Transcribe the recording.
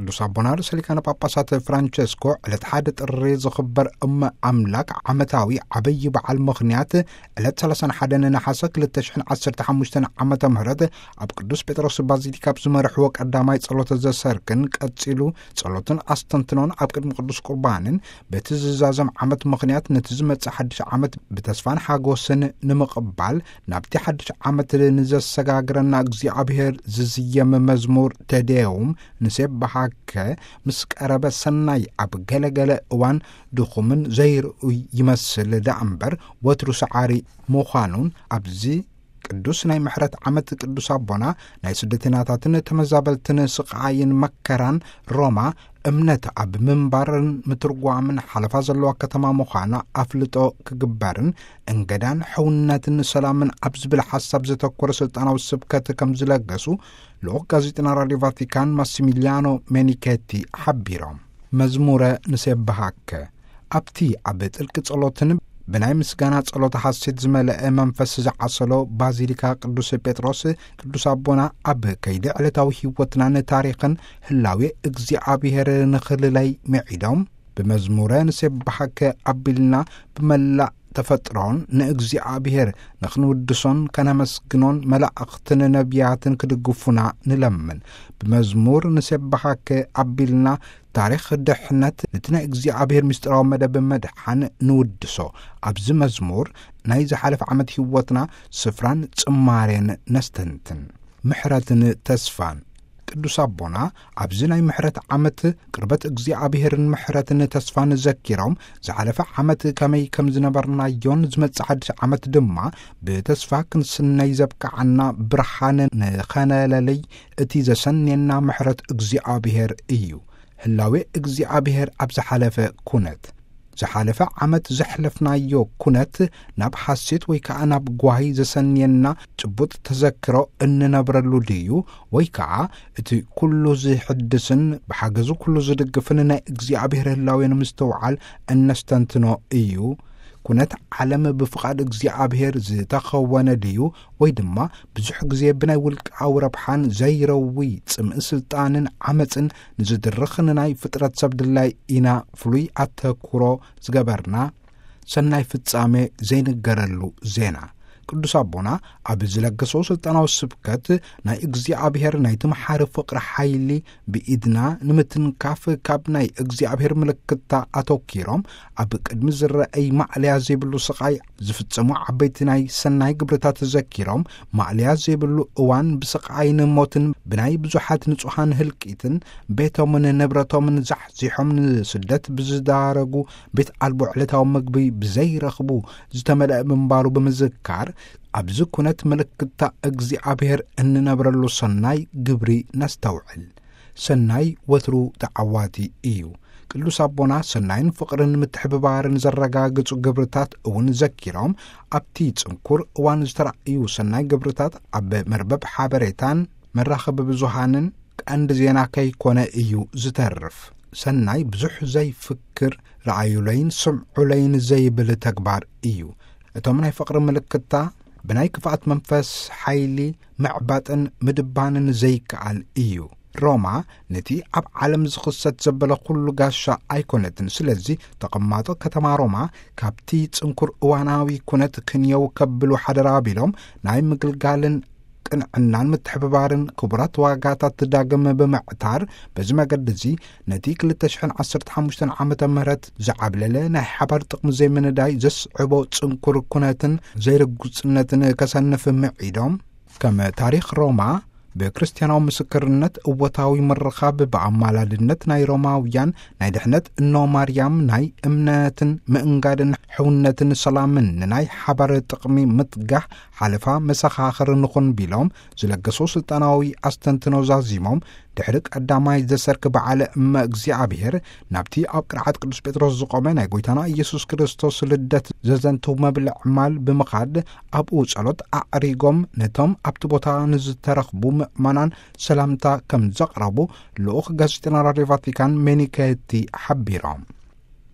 ቅዱስ ኣቦና ርእሰ ሊቃነ ጳጳሳት ፍራንቸስኮ ዕለት ሓደ ጥሪ ዝኽበር እመ ኣምላክ ዓመታዊ ዓበይ በዓል ምኽንያት ዕለት ሰላሳን ሓደን ነሓሰ ክልተ ሽሕን ዓሰርተ ሓሙሽተን ዓመተ ምህረት ኣብ ቅዱስ ጴጥሮስ ባዚሊካ ኣብ ዝመርሕዎ ቀዳማይ ጸሎተ ዘሰርክን ቀጺሉ ጸሎትን ኣስተንትኖን ኣብ ቅድሚ ቅዱስ ቁርባንን በቲ ዝዛዘም ዓመት ምኽንያት ነቲ ዝመጽእ ሓድሽ ዓመት ብተስፋን ሓጎስን ንምቕባል ናብቲ ሓድሽ ዓመት ንዘሰጋግረና እግዚኣብሔር ዝዝየም መዝሙር ተደየውም ንሴብሃከ ምስ ቀረበ ሰናይ ኣብ ገለገለ እዋን ድኹምን ዘይርእይ ይመስል ደኣ እምበር ወትሩ ሰዓሪ ምዃኑን ኣብዚ ቅዱስ ናይ ምሕረት ዓመት ቅዱስ ኣቦና ናይ ስደተኛታትን ተመዛበልትን ስቓይን መከራን ሮማ እምነት ኣብ ምንባርን ምትርጓምን ሓለፋ ዘለዋ ከተማ ምዃና ኣፍልጦ ክግበርን እንገዳን ሕውነትን ሰላምን ኣብ ዝብል ሓሳብ ዘተኮረ ስልጣናዊ ስብከት ከም ዝለገሱ ልኡኽ ጋዜጠና ራድዮ ቫቲካን ማሲሚሊያኖ ሜኒኬቲ ሓቢሮም። መዝሙረ ንሴብሃከ ኣብቲ ኣብ ጥልቂ ጸሎትን ብናይ ምስጋና ጸሎት ሓሴት ዝመልአ መንፈስ ዝዓሰሎ ባዚሊካ ቅዱስ ጴጥሮስ ቅዱስ ኣቦና ኣብ ከይዲ ዕለታዊ ህይወትናን ታሪኽን ህላዌ እግዚኣብሔር ንኽልለይ ምዒዶም ብመዝሙረ ንሴብሃከ ኣቢልና ብመላእ ተፈጥሮን ንእግዚኣብሔር ንኽንውድሶን ከነመስግኖን መላእኽትን ነቢያትን ክድግፉና ንለምን። ብመዝሙር ንሴብሃከ ኣቢልና ታሪኽ ድሕነት ነቲ ናይ እግዚኣብሔር ምስጢራዊ መደብ መድሓን ንውድሶ። ኣብዚ መዝሙር ናይ ዝሓለፈ ዓመት ህይወትና ስፍራን ጽማሬን ነስተንትን። ምሕረትን ተስፋን። ቅዱስ ኣቦና ኣብዚ ናይ ምሕረት ዓመት ቅርበት እግዚኣብሔርን ምሕረትን ተስፋን ዘኪሮም ዝሓለፈ ዓመት ከመይ ከም ዝነበርናዮን ዝመጽእ ሓድሽ ዓመት ድማ ብተስፋ ክንስነይ ዘብቅዓና ብርሃን ንኸነለልይ እቲ ዘሰንየና ምሕረት እግዚኣብሔር እዩ። ህላዌ እግዚኣብሔር ኣብ ዝሓለፈ ኩነት ዝሓለፈ ዓመት ዘሕለፍናዮ ኩነት ናብ ሓሴት ወይ ከኣ ናብ ጓሂ ዘሰንየና ጭቡጥ ተዘክሮ እንነብረሉ ድዩ? ወይ ከኣ እቲ ኩሉ ዝሕድስን ብሓገዙ ኩሉ ዝድግፍን ናይ እግዚኣብሔር ህላዌ ንምስትውዓል እነስተንትኖ እዩ? ኩነት ዓለም ብፍቓድ እግዚኣብሔር ዝተኸወነ ድዩ? ወይ ድማ ብዙሕ ግዜ ብናይ ውልቃዊ ረብሓን ዘይረዊ ጽምኢ ስልጣንን ዓመጽን ንዝድርኽ ንናይ ፍጥረት ሰብ ድላይ ኢና ፍሉይ ኣተኩሮ ዝገበርና? ሰናይ ፍጻሜ ዘይንገረሉ ዜና። ቅዱስ ኣቦና ኣብ ዝለገሶ ስልጣናዊ ስብከት ናይ እግዚኣብሔር ናይ ትምሓሪ ፍቕሪ ሓይሊ ብኢድና ንምትንካፍ ካብ ናይ እግዚኣብሔር ምልክታ ኣተኪሮም ኣብ ቅድሚ ዝረአይ ማዕለያ ዘይብሉ ስቓይ ዝፍጸሙ ዓበይቲ ናይ ሰናይ ግብርታት ዘኪሮም ማዕለያ ዘይብሉ እዋን ብስቓይን ሞትን ብናይ ብዙሓት ንጹሃን ህልቂትን ቤቶምን ንብረቶምን ዛሕዚሖም ንስደት ብዝዳረጉ ቤት ኣልቦ ዕለታዊ ምግቢ ብዘይረኽቡ ዝተመልአ ምንባሩ ብምዝካር ኣብዚ ኩነት ምልክታ እግዚኣብሔር እንነብረሉ ሰናይ ግብሪ ነስተውዕል። ሰናይ ወትሩ ተዓዋቲ እዩ። ቅዱስ ኣቦና ሰናይን ፍቕርን ምትሕብባርን ዘረጋግጹ ግብርታት እውን ዘኪሮም ኣብቲ ጽንኩር እዋን ዝተራእዩ ሰናይ ግብርታት ኣብ መርበብ ሓበሬታን መራኸቢ ብዙሃንን ቀንዲ ዜና ከይኮነ እዩ ዝተርፍ። ሰናይ ብዙሕ ዘይፍክር ረኣዩለይን ስምዑለይን ዘይብል ተግባር እዩ። እቶም ናይ ፍቕሪ ምልክታ ብናይ ክፍኣት መንፈስ ሓይሊ ምዕባጥን ምድባንን ዘይከኣል እዩ። ሮማ ነቲ ኣብ ዓለም ዝኽሰት ዘበለ ኩሉ ጋሻ ኣይኮነትን። ስለዚ ተቐማጦ ከተማ ሮማ ካብቲ ጽንኩር እዋናዊ ኩነት ክንየው ከብሉ ሓደራ ኣቢሎም ናይ ምግልጋልን ቅንዕናን ምትሕብባርን ክቡራት ዋጋታት ዳግም ብምዕታር በዚ መገዲ እዚ ነቲ ክልተ ሽሕን ዓሰርተ ሓሙሽተን ዓመተ ምህረት ዝዓብለለ ናይ ሓባር ጥቕሚ ዘይምንዳይ ዘስዕቦ ጽንኩር ኩነትን ዘይርጉጽነትን ከሰንፍ ምዒዶም ከም ታሪኽ ሮማ ብክርስትያናዊ ምስክርነት እወታዊ ምርኻብ ብኣማላድነት ናይ ሮማውያን ናይ ድሕነት እኖ ማርያም ናይ እምነትን ምእንጋድን ሕውነትን ሰላምን ንናይ ሓባር ጥቕሚ ምትጋህ ሓለፋ መሰኻኽር ንኹን ቢሎም ዝለገሱ ስልጣናዊ ኣስተንትኖ ዛዚሞም ድሕሪ ቀዳማይ ዘሰርክ በዓለ እመ እግዚኣብሔር ናብቲ ኣብ ቅርዓት ቅዱስ ጴጥሮስ ዝቖመ ናይ ጎይታና ኢየሱስ ክርስቶስ ልደት ዘዘንትው መብልዕ ማል ብምኻድ ኣብኡ ጸሎት ኣዕሪጎም ነቶም ኣብቲ ቦታ ንዝተረኽቡ ምእመናን ሰላምታ ከም ዘቕረቡ ልኡኽ ጋዜጠና ራድዮ ቫቲካን ሜኒኬቲ ሓቢሮም።